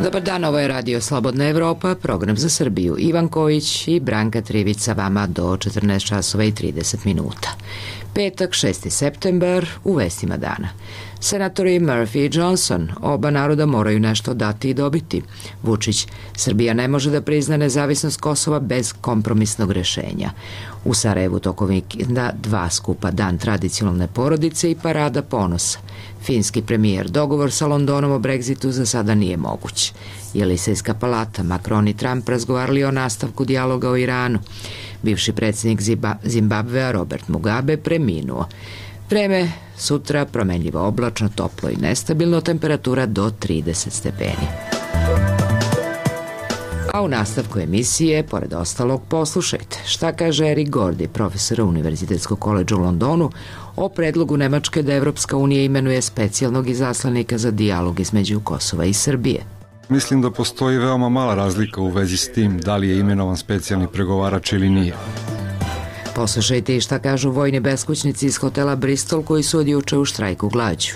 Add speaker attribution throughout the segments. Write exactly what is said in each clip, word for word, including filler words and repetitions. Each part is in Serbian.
Speaker 1: Dobar dan, ovo je Radio Slobodna Evropa, program za Srbiju. Ivan Kojić i Branka Trivić sa vama do četrnaest časova i trideset minuta. Petak, šesti septembar, u vestima dana. Senatori Murphy i Johnson, oba naroda moraju nešto dati i dobiti. Vučić, Srbija ne može da prizna nezavisnost Kosova bez kompromisnog rešenja. U Sarajevu tokom vikenda dva skupa, Dan tradicionalne porodice i Parada ponosa. Finski premijer, dogovor sa Londonom o Brexitu za sada nije moguć. Jelisejska palata, Macron i Trump razgovarali o nastavku dijaloga o Iranu. Bivši predsjednik Zimbabvea Robert Mugabe preminuo. Vreme sutra promenljivo oblačno, toplo i nestabilno, temperatura do trideset stepeni. A u nastavku emisije, pored ostalog, poslušajte šta kaže Eric Gordy, profesor Univerzitetskog koledža u Londonu, o predlogu Nemačke da Evropska unija imenuje specijalnog izaslanika za dijalog između Kosova i Srbije.
Speaker 2: Mislim da postoji veoma mala razlika u vezi s tim da li je imenovan specijalni pregovarač ili nije.
Speaker 1: Poslušajte i šta kažu vojni beskućnici iz hotela Bristol koji su od juče u štrajku glađu.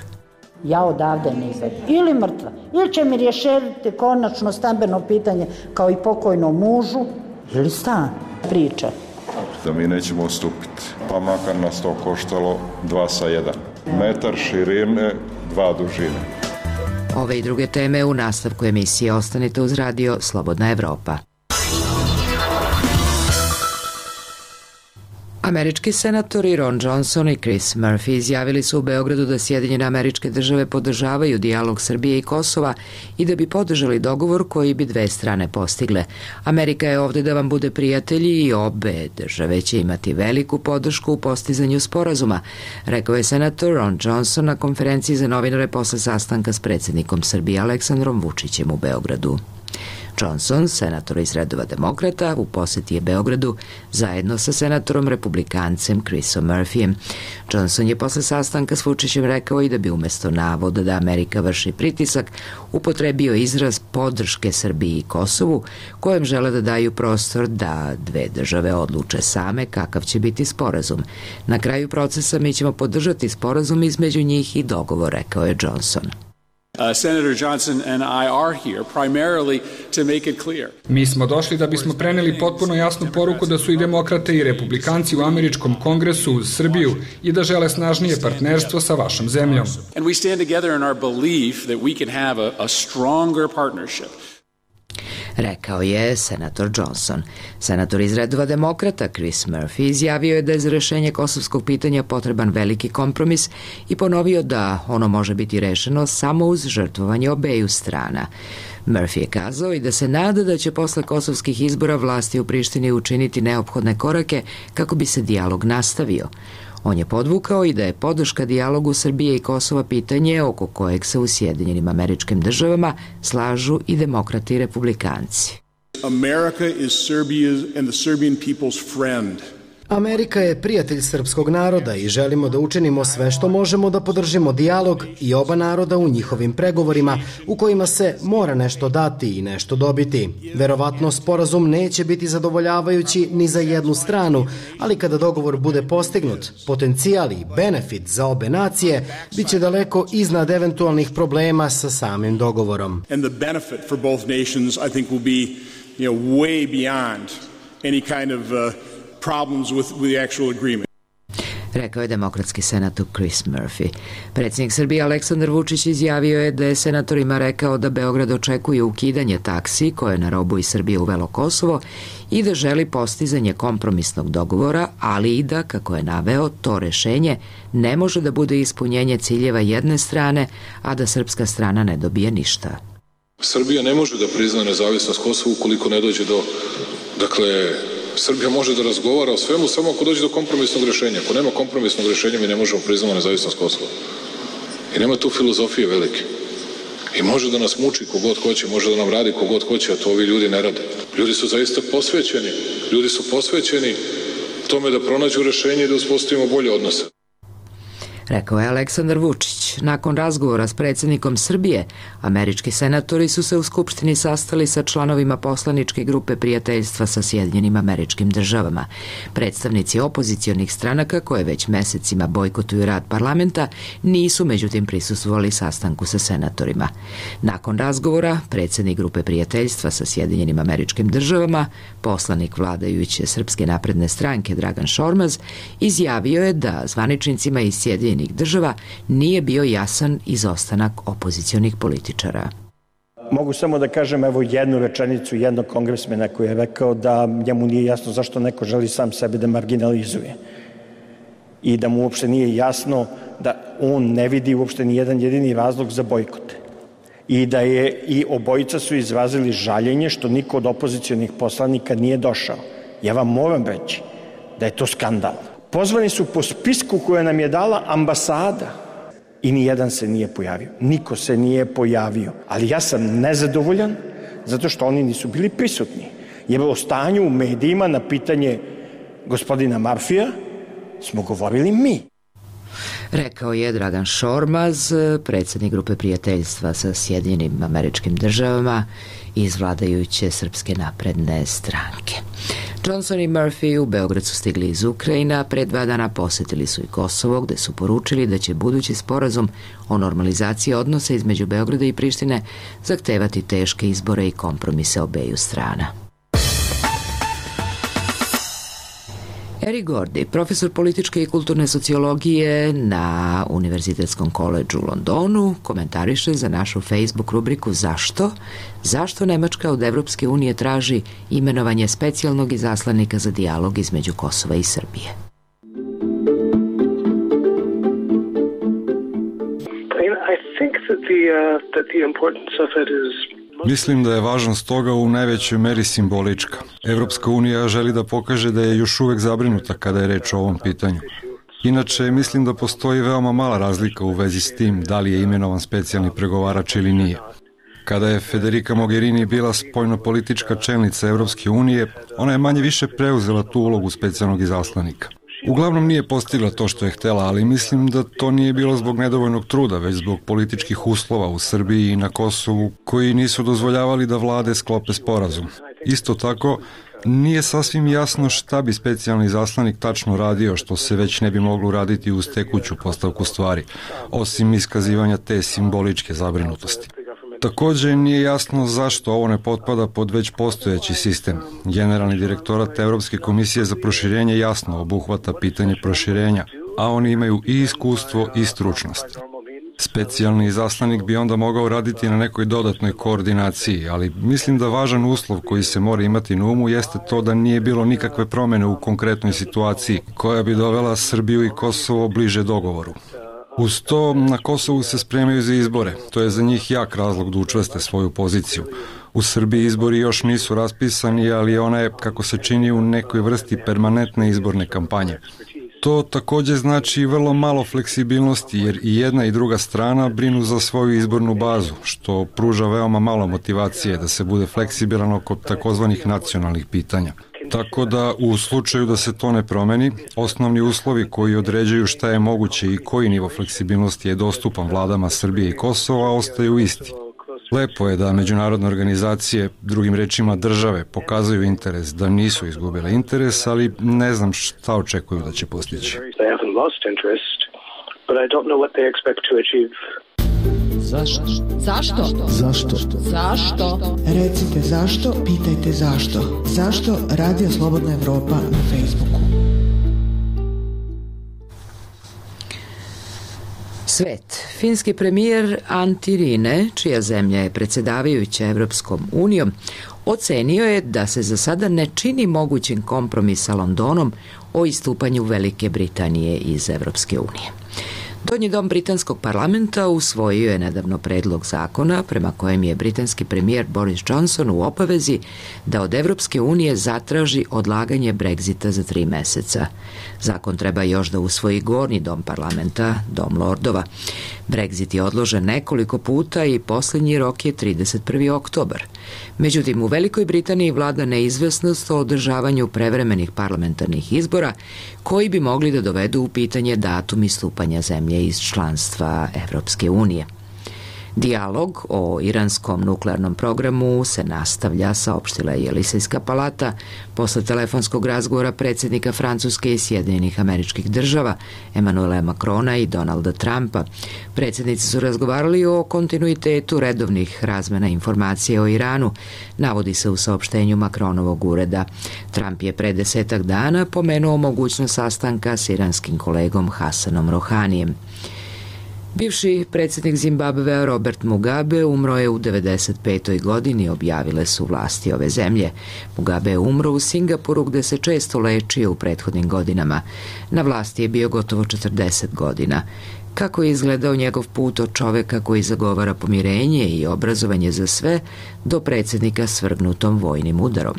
Speaker 3: Ja odavde ne izađu. Ili mrtva. Ili će mi rješaviti konačno stambeno pitanje kao i pokojnom mužu. Ili stan. Priča.
Speaker 4: Da mi nećemo ustupiti. Pa makar nas to koštalo dva sa jedan. Metar širine, dva dužine.
Speaker 1: Ove i druge teme u nastavku emisije. Ostanite uz Radio Slobodna Evropa. Američki senatori Ron Johnson i Chris Murphy izjavili su u Beogradu da Sjedinjene Američke Države podržavaju dijalog Srbije i Kosova i da bi podržali dogovor koji bi dve strane postigle. Amerika je ovde da vam bude prijatelji i obe države će imati veliku podršku u postizanju sporazuma, rekao je senator Ron Johnson na konferenciji za novinare posle sastanka s predsjednikom Srbije Aleksandrom Vučićem u Beogradu. Johnson, senator iz redova demokrata, u poseti je Beogradu zajedno sa senatorom republikancem Chrisom Murphyjem. Johnson je posle sastanka s Vučićem rekao i da bi umesto navoda da Amerika vrši pritisak upotrebio izraz podrške Srbiji i Kosovu, kojem žele da daju prostor da dve države odluče same kakav će biti sporazum. Na kraju procesa mi ćemo podržati sporazum između njih i dogovor, rekao je Johnson.
Speaker 5: Uh, Senator Johnson and I are here primarily to make it clear.
Speaker 6: Mi smo došli da bismo preneli potpuno jasnu poruku da su i demokrate i republikanci u američkom kongresu uz Srbiju i da žele snažnije partnerstvo sa vašom zemljom.
Speaker 5: And we stand together in our belief that we can have a, a stronger partnership.
Speaker 1: Rekao je senator Johnson. Senator iz redova demokrata Chris Murphy izjavio je da je za rešenje kosovskog pitanja potreban veliki kompromis i ponovio da ono može biti rešeno samo uz žrtvovanje obeju strana. Murphy je kazao i da se nada da će posle kosovskih izbora vlasti u Prištini učiniti neophodne korake kako bi se dijalog nastavio. On je podvukao i da je podrška dijalogu Srbije i Kosova pitanje oko kojeg se u Sjedinjenim Američkim Državama slažu i demokrati i republikanci.
Speaker 5: America is Serbia's and the Serbian people's friend.
Speaker 7: Amerika je prijatelj srpskog naroda i želimo da učinimo sve što možemo da podržimo dijalog i oba naroda u njihovim pregovorima u kojima se mora nešto dati i nešto dobiti. Verovatno sporazum neće biti zadovoljavajući ni za jednu stranu, ali kada dogovor bude postignut, potencijal i benefit za obe nacije biće daleko iznad eventualnih problema sa samim dogovorom.
Speaker 5: And the benefit for both nations I think will be, you know, way beyond any kind of uh, problems with, with the actual agreement.
Speaker 1: Rekao je demokratski senator Chris Murphy. Predsjednik Srbije Aleksandar Vučić izjavio je da je senatorima rekao da Beograd očekuje ukidanje taksi koje je na robu iz Srbije uvelo Kosovo i da želi postizanje kompromisnog dogovora, ali i da, kako je naveo, to rešenje ne može da bude ispunjenje ciljeva jedne strane, a da srpska strana ne dobije ništa.
Speaker 8: Srbija ne može da prizna nezavisnost Kosova ukoliko ne dođe do, dakle, Srbija može da razgovara o svemu samo ako dođe do kompromisnog rešenja. Ako nema kompromisnog rešenja, mi ne možemo priznati nezavisnost Kosova. I nema tu filozofije velike. I može da nas muči kogod hoće, može da nam radi kogod hoće, a to ovi ljudi ne rade. Ljudi su zaista posvećeni. Ljudi su posvećeni tome da pronađu rešenje i da uspostavimo bolje odnose.
Speaker 1: rekao je Aleksandar Vučić. Nakon razgovora s predsjednikom Srbije, američki senatori su se u Skupštini sastali sa članovima poslaničke grupe prijateljstva sa Sjedinjenim Američkim Državama. Predstavnici opozicionih stranaka, koje već mesecima bojkotuju rad parlamenta, nisu međutim prisustvovali sastanku sa senatorima. Nakon razgovora, predsjednik grupe prijateljstva sa Sjedinjenim Američkim Državama, poslanik vladajuće Srpske napredne stranke Dragan Šormaz, izjavio je da zvaničnicima iz Sjedinjenih Država nije bio jasan izostanak opozicionih političara.
Speaker 9: Mogu samo da kažem evo jednu rečenicu jednog kongresmena koji je rekao da njemu nije jasno zašto neko želi sam sebe da marginalizuje i da mu uopšte nije jasno da on ne vidi uopšte ni jedan jedini razlog za bojkot i da je i obojica su izrazili žaljenje što niko od opozicionih poslanika nije došao. Ja vam moram reći da je to skandal. Pozvani su po spisku koje nam je dala ambasada i ni jedan se nije pojavio. Niko se nije pojavio. Ali ja sam nezadovoljan zato što oni nisu bili prisutni. Jer o stanju u medijima na pitanje gospodina Marfija smo govorili mi.
Speaker 1: Rekao je Dragan Šormaz, predsjednik grupe prijateljstva sa Sjedinjenim Američkim Državama iz vladajuće Srpske napredne stranke. Johnson i Murphy u Beograd su stigli iz Ukrajina, a pre dva dana posjetili su i Kosovo, gde su poručili da će budući sporazum o normalizaciji odnosa između Beograda i Prištine zahtevati teške izbore i kompromise obeju strana. Eric Gordy, profesor političke i kulturne sociologije na Univerzitetskom koledžu u Londonu, komentariše za našu Facebook rubriku Zašto? Zašto Nemačka od Evropske unije traži imenovanje specijalnog izaslanika za dijalog između Kosova i Srbije?
Speaker 10: I think that the, uh, that the importance of it is
Speaker 2: Mislim da je važnost toga u najvećoj meri simbolička. Evropska unija želi da pokaže da je još uvek zabrinuta kada je reč o ovom pitanju. Inače, mislim da postoji veoma mala razlika u vezi s tim da li je imenovan specijalni pregovarač ili nije. Kada je Federica Mogherini bila spoljnopolitička čelnica Evropske unije, ona je manje više preuzela tu ulogu specijalnog izaslanika. Uglavnom nije postigla to što je htela, ali mislim da to nije bilo zbog nedovoljnog truda, već zbog političkih uslova u Srbiji i na Kosovu koji nisu dozvoljavali da vlade sklope sporazum. Isto tako, nije sasvim jasno šta bi specijalni izaslanik tačno radio, što se već ne bi moglo raditi uz tekuću postavku stvari, osim iskazivanja te simboličke zabrinutosti. Takođe nije jasno zašto ovo ne potpada pod već postojeći sistem. Generalni direktorat Evropske komisije za proširenje jasno obuhvata pitanje proširenja, a oni imaju i iskustvo i stručnost. Specijalni izaslanik bi onda mogao raditi na nekoj dodatnoj koordinaciji, ali mislim da važan uslov koji se mora imati na umu jeste to da nije bilo nikakve promene u konkretnoj situaciji koja bi dovela Srbiju i Kosovo bliže dogovoru. Uz to, na Kosovu se spremaju za izbore. To je za njih jak razlog da učvrste svoju poziciju. U Srbiji izbori još nisu raspisani, ali ona je, kako se čini, u nekoj vrsti permanentne izborne kampanje. To takođe znači vrlo malo fleksibilnosti, jer i jedna i druga strana brinu za svoju izbornu bazu, što pruža veoma malo motivacije da se bude fleksibilan oko takozvanih nacionalnih pitanja. Tako da, u slučaju da se to ne promeni, osnovni uslovi koji određuju šta je moguće i koji nivo fleksibilnosti je dostupan vladama Srbije i Kosova ostaju isti. Lepo je da međunarodne organizacije, drugim rečima države, pokazuju interes, da nisu izgubile interes, ali ne znam šta očekuju da će postići.
Speaker 11: Zašto? Zašto? Zašto? Zašto? Recite zašto, pitajte zašto. Zašto Radio Slobodna Evropa na Facebooku?
Speaker 1: Svet. Finski premijer Antti Rinne, čija zemlja je predsjedavajuća Evropskom unijom, ocenio je da se za sada ne čini mogućim kompromis sa Londonom o istupanju Velike Britanije iz Evropske unije. Donji dom britanskog parlamenta usvojio je nedavno predlog zakona prema kojem je britanski premijer Boris Johnson u obavezi da od Evropske unije zatraži odlaganje Brexita za tri meseca. Zakon treba još da usvoji gornji dom parlamenta, dom lordova. Brexit je odložen nekoliko puta i posljednji rok je trideset prvi oktobar. Međutim, u Velikoj Britaniji vlada neizvesnost o održavanju prevremenih parlamentarnih izbora koji bi mogli da dovedu u pitanje datum istupanja zemlje iz članstva Evropske unije. Dijalog o iranskom nuklearnom programu se nastavlja, saopštila je Jelisejska palata posle telefonskog razgovora predsjednika Francuske i Sjedinjenih Američkih Država, Emanuela Macrona i Donalda Trumpa. Predsjednici su razgovarali o kontinuitetu redovnih razmena informacija o Iranu, navodi se u saopštenju Macronovog ureda. Trump je pre desetak dana pomenuo mogućnost sastanka s iranskim kolegom Hasanom Rohanijem. Bivši predsjednik Zimbabvea Robert Mugabe umro je u devedeset petoj godini, objavile su vlasti ove zemlje. Mugabe je umro u Singapuru gde se često lečio u prethodnim godinama. Na vlasti je bio gotovo četrdeset godina. Kako je izgledao njegov put od čoveka koji zagovara pomirenje i obrazovanje za sve do predsjednika svrgnutom vojnim udarom.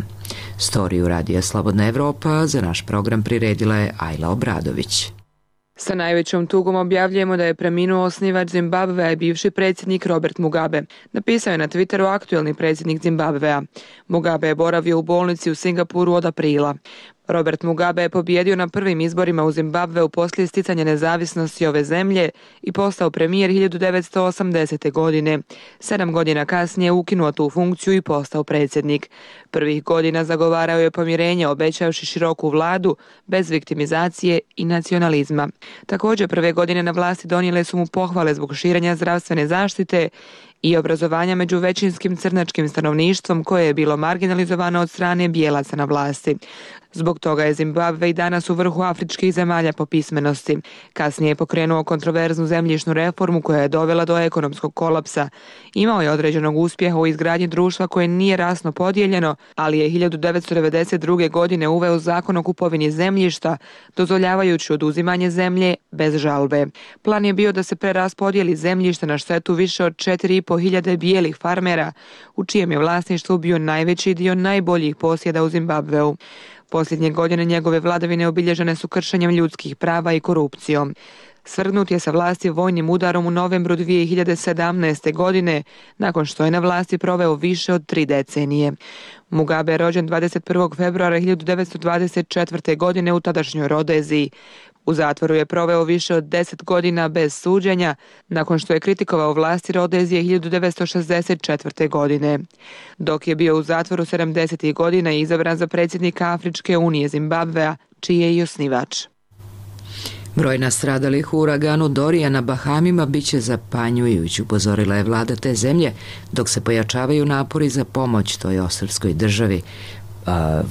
Speaker 1: Storiju radija Slobodna Evropa za naš program priredila je Ajla Obradović.
Speaker 12: Sa najvećom tugom objavljujemo da je preminuo osnivač Zimbabvea i bivši predsjednik Robert Mugabe. Napisao je na Twitteru aktuelni predsjednik Zimbabvea. Mugabe je boravio u bolnici u Singapuru od aprila. Robert Mugabe je pobjedio na prvim izborima u Zimbabveu poslije sticanja nezavisnosti ove zemlje i postao premijer hiljadu devetsto osamdesete. godine. Sedam godina kasnije ukinuo tu funkciju i postao predsjednik. Prvih godina zagovarao je pomirenje, obećavši široku vladu, bez viktimizacije i nacionalizma. Također prve godine na vlasti donijele su mu pohvale zbog širenja zdravstvene zaštite i obrazovanja među većinskim crnačkim stanovništvom koje je bilo marginalizovano od strane bijelaca na vlasti. Zbog toga je Zimbabve i danas u vrhu afričkih zemalja po pismenosti. Kasnije je pokrenuo kontroverznu zemljišnu reformu koja je dovela do ekonomskog kolapsa. Imao je određenog uspjeha u izgradnji društva koje nije rasno podijeljeno, ali je hiljadu devetsto devedeset druge. godine uveo zakon o kupovini zemljišta, dozvoljavajući oduzimanje zemlje bez žalbe. Plan je bio da se preraspodijeli zemljište na štetu više od četiri i po hiljade bijelih farmera, u čijem je vlasništvu bio najveći dio najboljih posjeda u Zimbabveu. Posljednje godine njegove vladavine obilježene su kršenjem ljudskih prava i korupcijom. Svrgnut je sa vlasti vojnim udarom u novembru dvije hiljade sedamnaeste. godine, nakon što je na vlasti proveo više od tri decenije. Mugabe je rođen dvadeset prvog februara hiljadu devetsto dvadeset četvrte. godine u tadašnjoj Rodeziji. U zatvoru je proveo više od deset godina bez suđenja, nakon što je kritikovao vlasti Rodezije hiljadu devetsto šezdeset četvrte. godine. Dok je bio u zatvoru sedamdesetih. godina i izabran za predsjednika Afričke unije Zimbabvea, čiji je i osnivač.
Speaker 1: Broj nastradalih u uraganu Dorija na Bahamima biće zapanjujući, upozorila je vlada te zemlje, dok se pojačavaju napori za pomoć toj ostrvskoj državi.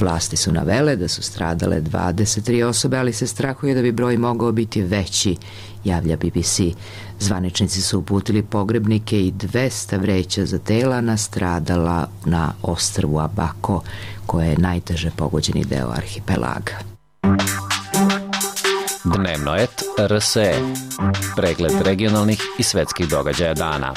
Speaker 1: Vlasti su navele da su stradale dvadeset tri osobe, ali se strahuje da bi broj mogao biti veći, javlja B B C. Zvaničnici su uputili pogrebnike i dvesta vreća za tela nastradala na ostrvu Abako, koje je najteže pogođeni deo arhipelaga.
Speaker 13: Dnevno et R S E. Pregled regionalnih i svetskih događaja dana.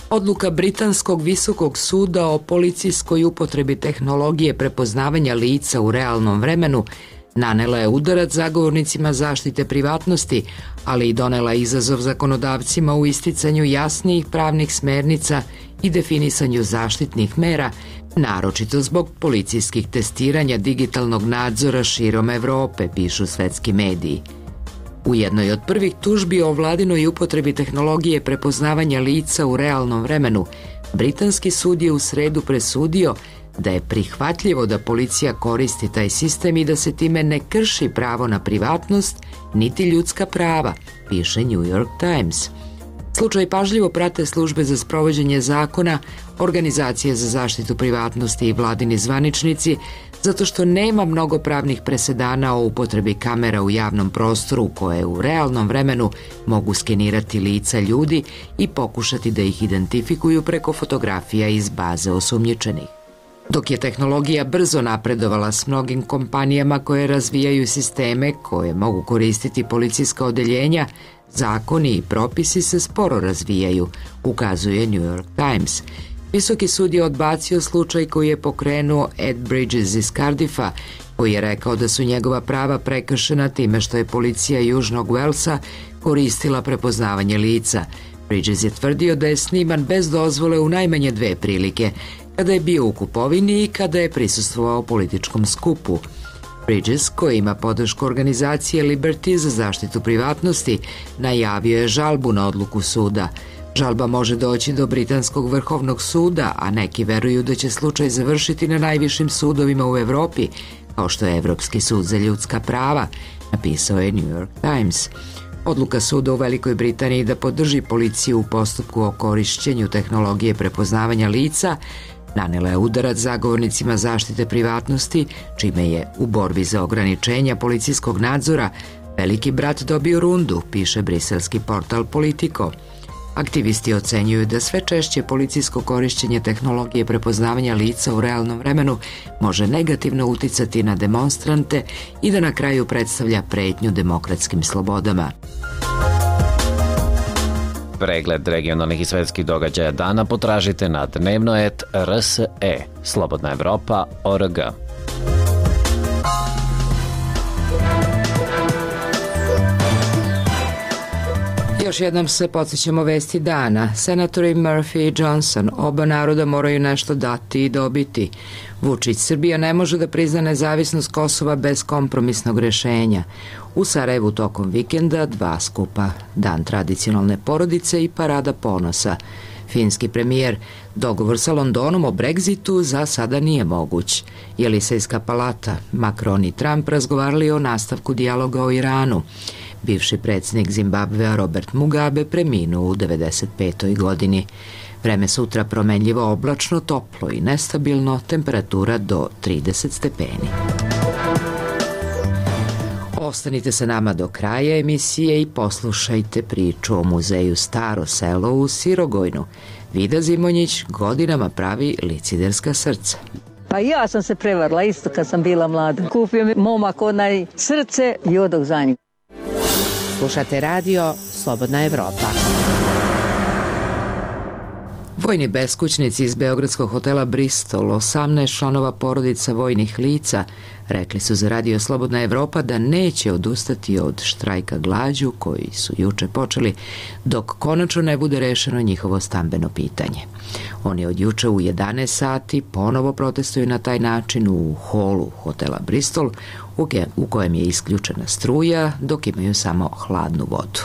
Speaker 1: Odluka Britanskog visokog suda o policijskoj upotrebi tehnologije prepoznavanja lica u realnom vremenu nanela je udarac zagovornicima zaštite privatnosti, ali i donela izazov zakonodavcima u isticanju jasnijih pravnih smernica i definisanju zaštitnih mera, naročito zbog policijskih testiranja digitalnog nadzora širom Evrope, pišu svetski mediji. U jednoj od prvih tužbi o vladinoj upotrebi tehnologije prepoznavanja lica u realnom vremenu, britanski sud je u sredu presudio da je prihvatljivo da policija koristi taj sistem i da se time ne krši pravo na privatnost niti ljudska prava, piše New York Times. Slučaj pažljivo prate službe za sprovođenje zakona, organizacije za zaštitu privatnosti i vladini zvaničnici, zato što nema mnogo pravnih presedana o upotrebi kamera u javnom prostoru koje u realnom vremenu mogu skenirati lica ljudi i pokušati da ih identifikuju preko fotografija iz baze osumnjičenih. Dok je tehnologija brzo napredovala s mnogim kompanijama koje razvijaju sisteme koje mogu koristiti policijska odeljenja, zakoni i propisi se sporo razvijaju, ukazuje New York Times. Visoki sud je odbacio slučaj koji je pokrenuo Ed Bridges iz Cardiffa, koji je rekao da su njegova prava prekršena time što je policija Južnog Walesa koristila prepoznavanje lica. Bridges je tvrdio da je sniman bez dozvole u najmanje dve prilike, kada je bio u kupovini i kada je prisustvovao političkom skupu. Bridges, koji ima podršku organizacije Liberty za zaštitu privatnosti, najavio je žalbu na odluku suda. Žalba može doći do Britanskog vrhovnog suda, a neki veruju da će slučaj završiti na najvišim sudovima u Evropi, kao što je Evropski sud za ljudska prava, napisao je New York Times. Odluka suda u Velikoj Britaniji da podrži policiju u postupku o korišćenju tehnologije prepoznavanja lica nanela je udarac zagovornicima zaštite privatnosti, čime je u borbi za ograničenja policijskog nadzora veliki brat dobio rundu, piše briselski portal Politico. Aktivisti ocenjuju da sve češće policijsko korišćenje tehnologije prepoznavanja lica u realnom vremenu može negativno uticati na demonstrante i da na kraju predstavlja pretnju demokratskim slobodama.
Speaker 13: Pregled regionalnih i svetskih događaja dana potražite na dnevno et r s e, slobodna evropa tačka org.
Speaker 1: Još jednom se podsjećamo vesti dana. Senatori Murphy i Johnson, oba naroda moraju nešto dati i dobiti. Vučić, Srbija ne može da prizna nezavisnost Kosova bez kompromisnog rešenja. U Sarajevu tokom vikenda dva skupa, dan tradicionalne porodice i parada ponosa. Finski premijer, dogovor sa Londonom o Brexitu za sada nije moguć. Jelisejska palata, Macron i Trump razgovarali o nastavku dijaloga o Iranu. Bivši predsjednik Zimbabvea Robert Mugabe preminuo u devedeset petoj godini. Vreme sutra promenljivo oblačno, toplo i nestabilno, temperatura do trideset stepeni. Ostanite sa nama do kraja emisije i poslušajte priču o muzeju Staro selo u Sirogojnu. Vida Zimonjić godinama pravi liciderska srca.
Speaker 14: Pa ja sam se prevarila isto kad sam bila mlada. Kupio mi momak onaj srce i odog za njim.
Speaker 15: Slušate radio Slobodna Evropa.
Speaker 1: Vojni beskućnici iz beogradskog hotela Bristol, osamnaest članova porodica vojnih lica, rekli su za radio Slobodna Evropa da neće odustati od štrajka glađu koji su juče počeli dok konačno ne bude rešeno njihovo stambeno pitanje. Oni od juče u jedanaest sati ponovo protestuju na taj način u holu hotela Bristol u kojem je isključena struja dok imaju samo hladnu vodu.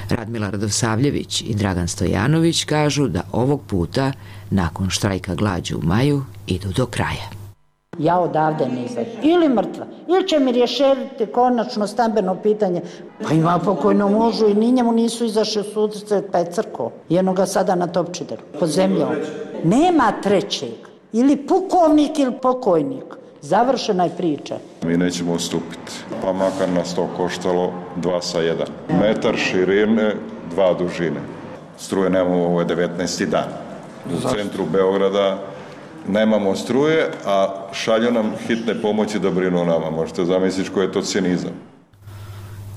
Speaker 1: Radmila Radosavljević i Dragan Stojanović kažu da ovog puta, nakon štrajka glađu u maju, idu do kraja.
Speaker 3: Ja odavde ne izađem. Ili mrtva. Ili će mi rješeriti konačno stambeno pitanje. Pa ima pokojno mužu i ni njemu nisu izašli u sudce pa je crko. Jedno ga sada na Topčideru. Pod zemljom. Nema trećeg. Ili pukovnik ili pokojnik. Završena je priča.
Speaker 4: Mi nećemo ustupiti. Pa makar nas to koštalo dva sa jedan. Metar širine, dva dužine. Struje nemamo, ovo je devetnaesti dan. U centru Beograda nemamo struje, a šalju nam hitne pomoći da brinu o nama. Možete zamisliti koji je to cinizam.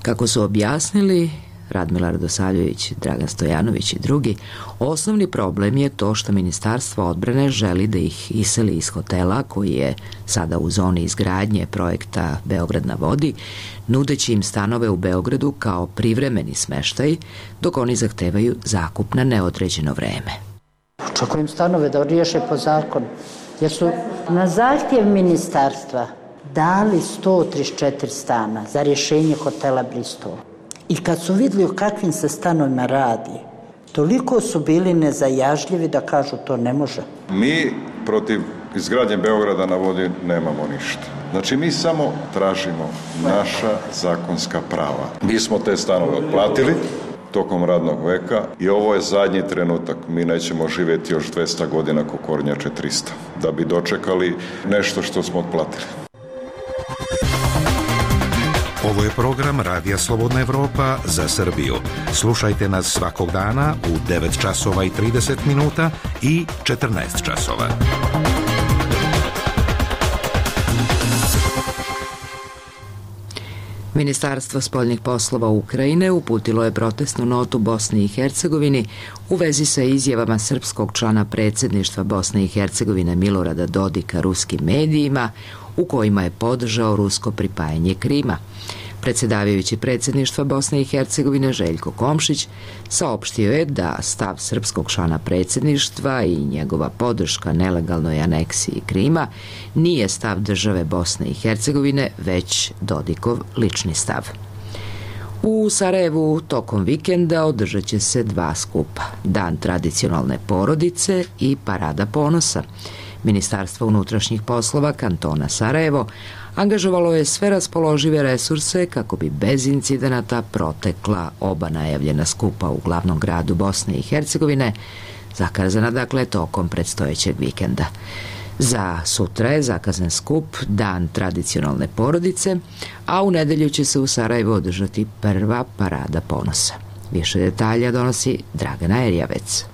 Speaker 1: Kako su objasnili Radmila Radosavljević, Dragan Stojanović i drugi, osnovni problem je to što Ministarstvo odbrane želi da ih iseli iz hotela koji je sada u zoni izgradnje projekta Beograd na vodi, nudeći im stanove u Beogradu kao privremeni smeštaj, dok oni zahtevaju zakup na neodređeno vreme.
Speaker 3: Očekujem stanove da riješe po zakonu, jer su na zahtjev ministarstva dali sto trideset četiri stana za rješenje hotela Bristol. I kad su vidjeli o kakvim se stanovima radi, toliko su bili nezajažljivi da kažu to ne može.
Speaker 4: Mi protiv izgradnje Beograda na vodi nemamo ništa. Znači mi samo tražimo naša zakonska prava. Mi smo te stanove otplatili tokom radnog veka i ovo je zadnji trenutak. Mi nećemo živjeti još dvesta godina ko kornjače trista, da bi dočekali nešto što smo otplatili.
Speaker 16: Ovo je program Radija Slobodna Evropa za Srbiju. Slušajte nas svakog dana u devet časova i trideset minuta i četrnaest časova.
Speaker 1: Ministarstvo spoljnih poslova Ukrajine uputilo je protestnu notu Bosni i Hercegovini u vezi sa izjavama srpskog člana predsjedništva Bosne i Hercegovine Milorada Dodika ruskim medijima u kojima je podržao rusko pripajanje Krima. Predsedavajući predsjedništva Bosne i Hercegovine Željko Komšić saopštio je da stav srpskog člana predsjedništva i njegova podrška nelegalnoj aneksiji Krima nije stav države Bosne i Hercegovine, već Dodikov lični stav. U Sarajevu tokom vikenda održat će se dva skupa, Dan tradicionalne porodice i Parada ponosa. Ministarstvo unutrašnjih poslova kantona Sarajevo angažovalo je sve raspoložive resurse kako bi bez incidenata protekla oba najavljena skupa u glavnom gradu Bosne i Hercegovine, zakazana dakle tokom predstojećeg vikenda. Za sutra je zakazan skup Dan tradicionalne porodice, a u nedelju će se u Sarajevu održati prva Parada ponosa. Više detalja donosi Dragana Erjavec.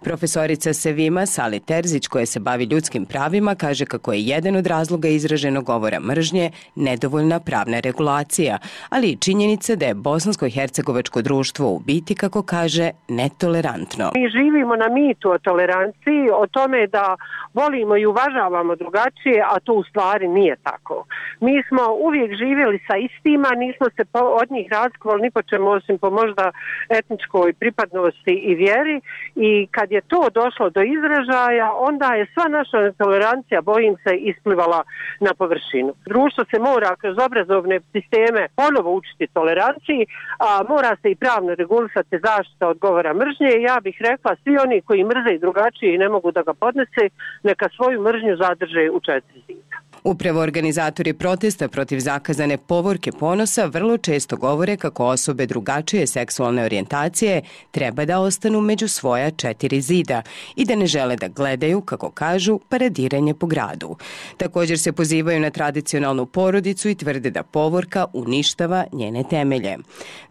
Speaker 17: Profesorica Sevima Sali Terzić, koja se bavi ljudskim pravima, kaže kako je jedan od razloga izraženog govora mržnje nedovoljna pravna regulacija, ali i činjenica da je bosansko-hercegovačko društvo u biti, kako kaže, netolerantno.
Speaker 18: Mi živimo na mitu o toleranciji, o tome da volimo i uvažavamo drugačije, a to u stvari nije tako. Mi smo uvijek živjeli sa istima, nismo se od njih razlikovali ni po čemu osim po možda etničkoj pripadnosti i vjeri, i kad je to došlo do izražaja, onda je sva naša netolerancija, bojim se, isplivala na površinu. Društvo se mora kroz obrazovne sisteme ponovo učiti toleranciji, a mora se i pravno regulisati zaštita od govora mržnje. Ja bih rekla, svi oni koji mrze i drugačije i ne mogu da ga podnese, neka svoju mržnju zadrže u četiri zida.
Speaker 17: Upravo organizatori protesta protiv zakazane povorke ponosa vrlo često govore kako osobe drugačije seksualne orijentacije treba da ostanu među svoja četiri zida i da ne žele da gledaju, kako kažu, paradiranje po gradu. Također se pozivaju na tradicionalnu porodicu i tvrde da povorka uništava njene temelje.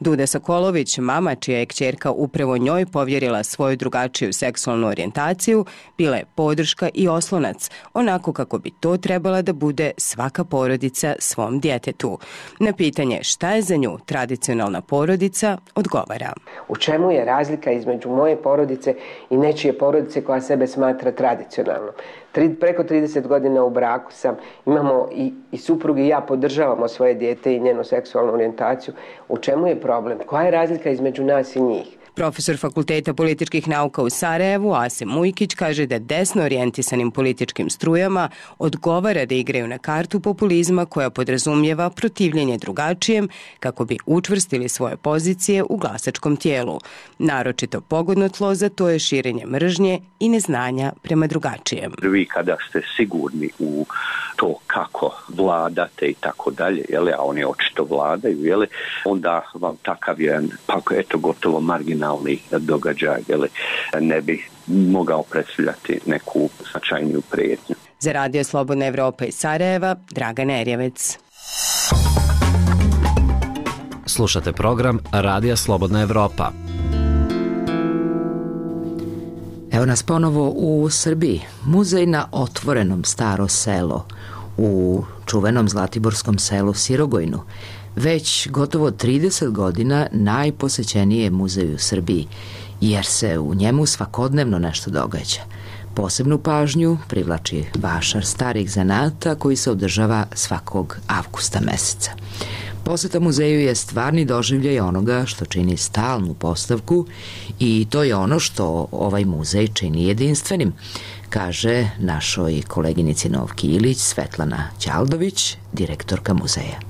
Speaker 17: Duda Sokolović, mama čija je kćerka upravo njoj povjerila svoju drugačiju seksualnu orijentaciju, bila je podrška i oslonac, onako kako bi to trebala da bude svaka porodica svom djetetu. Na pitanje šta je za nju tradicionalna porodica, odgovara.
Speaker 19: U čemu je razlika između moje porodice i nečije porodice koja sebe smatra tradicionalnom? Tri, preko trideset godina u braku sam, imamo i, i suprug i ja podržavamo svoje dijete i njenu seksualnu orijentaciju. U čemu je problem? Koja je razlika između nas i njih?
Speaker 17: Profesor Fakulteta političkih nauka u Sarajevu, Asim Mujkić, kaže da desno orijentisanim političkim strujama odgovara da igraju na kartu populizma koja podrazumijeva protivljenje drugačijem kako bi učvrstili svoje pozicije u glasačkom tijelu. Naročito pogodno tlo za to je širenje mržnje i neznanja prema drugačijem.
Speaker 20: Vi kada ste sigurni u to kako vladate i tako dalje, jele, a oni očito vladaju, jele, onda vam takav jedan, pa eto, gotovo marginalni događaj, jele, ne bi mogao predstavljati neku značajniju prijetnju.
Speaker 17: Za Radio Slobodna Evropa iz Sarajeva, Dragana Erjavec.
Speaker 13: Slušate program Radija Slobodna Evropa.
Speaker 1: Evo nas ponovo u Srbiji. Muzej na otvorenom Staro selo u čuvenom zlatiborskom selu Sirogojnu. Već gotovo trideset godina najposećeniji je muzej u Srbiji, jer se u njemu svakodnevno nešto događa. Posebnu pažnju privlači vašar starih zanata koji se održava svakog avgusta meseca. Poseta muzeju je stvarni doživljaj onoga što čini stalnu postavku i to je ono što ovaj muzej čini jedinstvenim, kaže našoj koleginici Novki Ilić Svetlana Ćaldović, direktorka muzeja.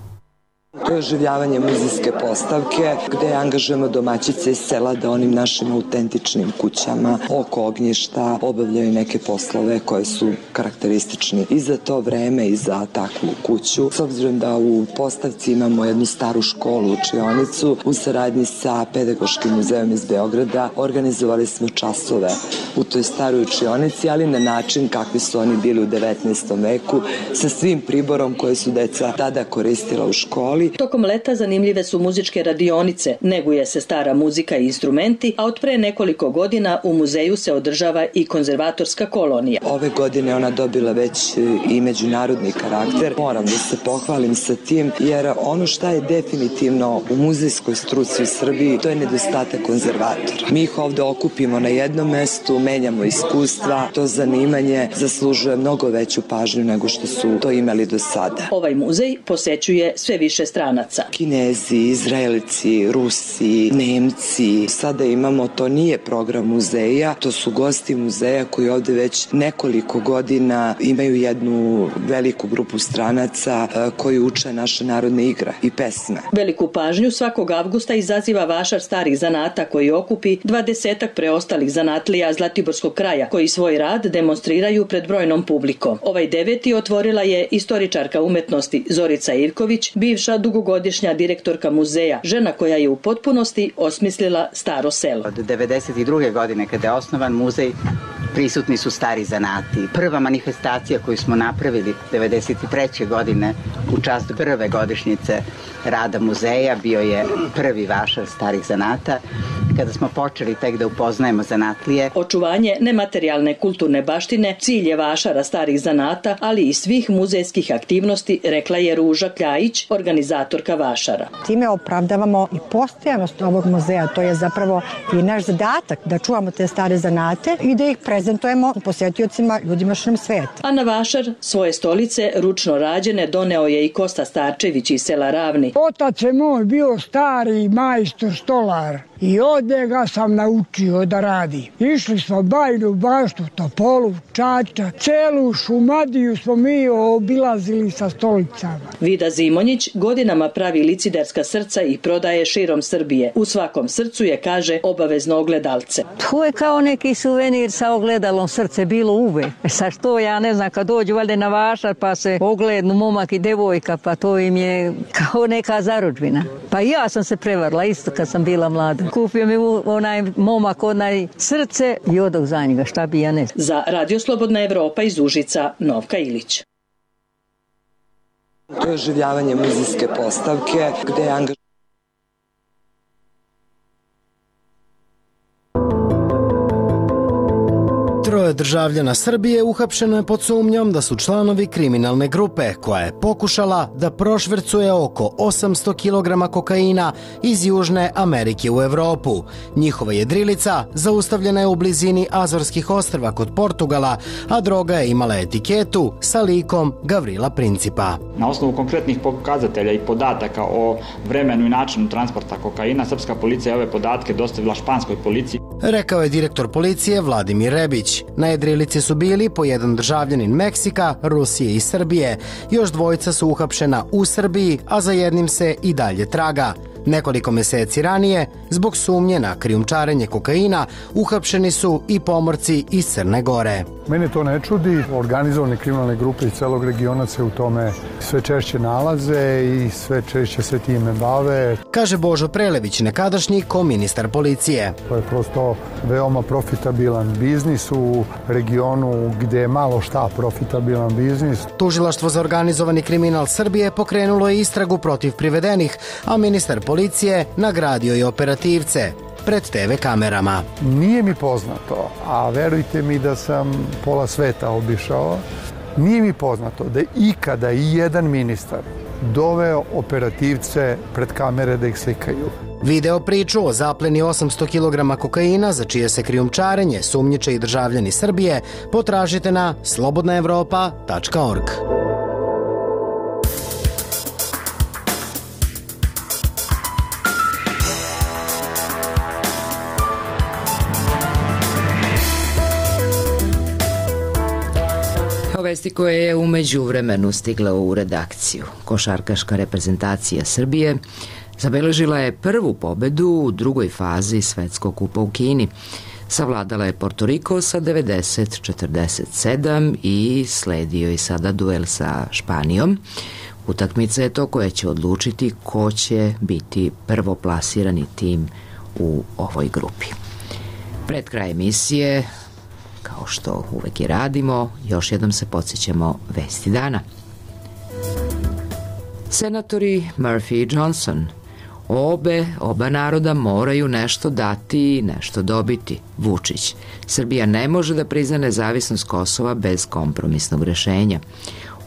Speaker 21: To je oživljavanje muzejske postavke gde angažujemo domaćice iz sela da onim našim autentičnim kućama oko ognjišta obavljaju neke poslove koje su karakteristični i za to vreme i za takvu kuću. S obzirom da u postavci imamo jednu staru školu, učionicu, u saradnji sa Pedagoškim muzejom iz Beograda organizovali smo časove u toj staroj učionici, ali na način kakvi su oni bili u devetnaestom veku, sa svim priborom koje su deca tada koristila u školi.
Speaker 22: Tokom leta zanimljive su muzičke radionice, neguje se stara muzika i instrumenti, a od pre nekoliko godina u muzeju se održava i konzervatorska kolonija.
Speaker 21: Ove godine ona dobila već i međunarodni karakter. Moram da se pohvalim sa tim, jer ono šta je definitivno u muzejskoj struci u Srbiji, to je nedostatak konzervatora. Mi ih ovde okupimo na jednom mestu, menjamo iskustva, to zanimanje zaslužuje mnogo veću pažnju nego što su to imali do sada.
Speaker 22: Ovaj muzej posećuje sve više strana stranaca.
Speaker 21: Kinezi, Izraelci, Rusi, Nemci. Sada imamo, to nije program muzeja, to su gosti muzeja koji ovde već nekoliko godina imaju jednu veliku grupu stranaca koji uče naše narodne igre i pesme.
Speaker 22: Veliku pažnju svakog avgusta izaziva vašar starih zanata koji okupi dvadesetak preostalih zanatlija Zlatiborskog kraja koji svoj rad demonstriraju pred brojnom publikom. Ovaj deveti otvorila je istoričarka umetnosti Zorica Ivković, bivša dugogodišnja direktorka muzeja, žena koja je u potpunosti osmislila staro selo.
Speaker 6: Od devedeset druge godine kada je osnovan muzej, prisutni su stari zanati. Prva manifestacija koju smo napravili devedeset treće godine u čast prve godišnjice rada muzeja bio je prvi vašar starih zanata, kada smo počeli tek da upoznajemo zanatlije.
Speaker 22: Očuvanje nematerijalne kulturne baštine cilj je vašara starih zanata, ali i svih muzejskih aktivnosti, rekla je Ruža Kljajić, organizatorka vašara.
Speaker 7: Time opravdavamo i postojanost ovog muzeja, to je zapravo i naš zadatak da čuvamo te stare zanate i da ih prezentujemo posetiocima, ljudima širom sveta.
Speaker 22: A na vašar svoje stolice ručno rađene doneo je i Kosta Starčević iz sela Ravni.
Speaker 23: Otac je moj bio stari majstor stolar i od njega sam naučio da radi. Išli smo Bajinu Baštu, Topolu, Čača, celu Šumadiju smo mi obilazili sa stolicama.
Speaker 22: Vida Zimonjić godinama pravi liciderska srca i prodaje širom Srbije. U svakom srcu je, kaže, obavezno ogledalce.
Speaker 14: To je kao neki suvenir sa ogledalom, srce bilo uvek. Sa što ja ne znam, kad dođu valjda na vašar pa se oglednu momak i devojka, pa to im je kao neka zarudžbina. Pa ja sam se prevarila isto kad sam bila mlada. Kupio mi onaj momak, onaj srce i odog za njega, šta bi ja ne znam.
Speaker 22: Za Radio Slobodna Evropa iz Užica, Novka Ilić.
Speaker 21: To je oživljavanje muzejske postavke gde je angažovano.
Speaker 24: Troje državljana Srbije uhapšeno je pod sumnjom da su članovi kriminalne grupe koja je pokušala da prošvercuje oko osamsto kilograma kokaina iz Južne Amerike u Evropu. Njihova jedrilica zaustavljena je u blizini Azorskih ostrva kod Portugala, a droga je imala etiketu sa likom Gavrila Principa.
Speaker 25: Na osnovu konkretnih pokazatelja i podataka o vremenu i načinu transporta kokaina, srpska policija je ove podatke dostavila španskoj policiji.
Speaker 24: Rekao je direktor policije Vladimir Rebić. Na jedrilici su bili po jedan državljanin Meksika, Rusije i Srbije. Još dvojica su uhapšena u Srbiji, a za jednim se i dalje traga. Nekoliko meseci ranije, zbog sumnje na krijumčarenje kokaina, uhapšeni su i pomorci iz Crne Gore.
Speaker 26: Mene to ne čudi. Organizovane kriminalne grupe iz celog regiona se u tome sve češće nalaze i sve češće se time bave.
Speaker 24: Kaže Božo Prelević, nekadašnji koministar policije.
Speaker 26: To je prosto veoma profitabilan biznis u regionu gde je malo šta profitabilan biznis.
Speaker 24: Tužilaštvo za organizovani kriminal Srbije pokrenulo je istragu protiv privedenih, a ministar policije nagradio je operativce pred te ve kamerama.
Speaker 26: Nije mi poznato, a verujte mi da sam pola sveta obišao, nije mi poznato da je ikada i jedan ministar doveo operativce pred kamere da ih slikaju.
Speaker 24: Video priču o zapleni osamsto kilograma kokaina za čije se krijumčarenje sumnjiče i državljani Srbije potražite na slobodna evropa tačka org.
Speaker 1: Vesti koje je umeđu vremenu stigla u redakciju. Košarkaška reprezentacija Srbije zabeležila je prvu pobedu u drugoj fazi Svetskog kupa u Kini. Savladala je Portoriko sa devedeset četrdeset sedam i sledio je sada duel sa Španijom. Utakmica je to koja će odlučiti ko će biti prvoplasirani tim u ovoj grupi. Pred kraj emisije, kao što uvek i radimo, još jednom se podsjećamo vesti dana. Senatori Murphy i Johnson. Obe, oba naroda moraju nešto dati i nešto dobiti. Vučić. Srbija ne može da prizna nezavisnost Kosova bez kompromisnog rešenja.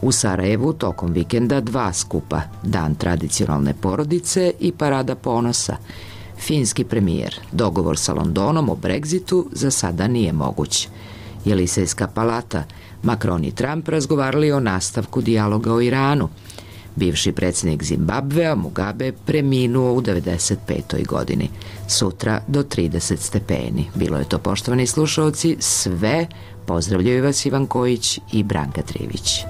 Speaker 1: U Sarajevu tokom vikenda dva skupa, Dan tradicionalne porodice i Parada ponosa. Finski premijer. Dogovor sa Londonom o Brexitu za sada nije moguć. Jelisejska palata. Macron i Trump razgovarali o nastavku dijaloga o Iranu. Bivši predsjednik Zimbabvea Mugabe preminuo u devedeset petoj godini. Sutra do trideset stepeni. Bilo je to, poštovani slušalci, sve. Pozdravljaju vas Ivan Kojić i Branka Trivić.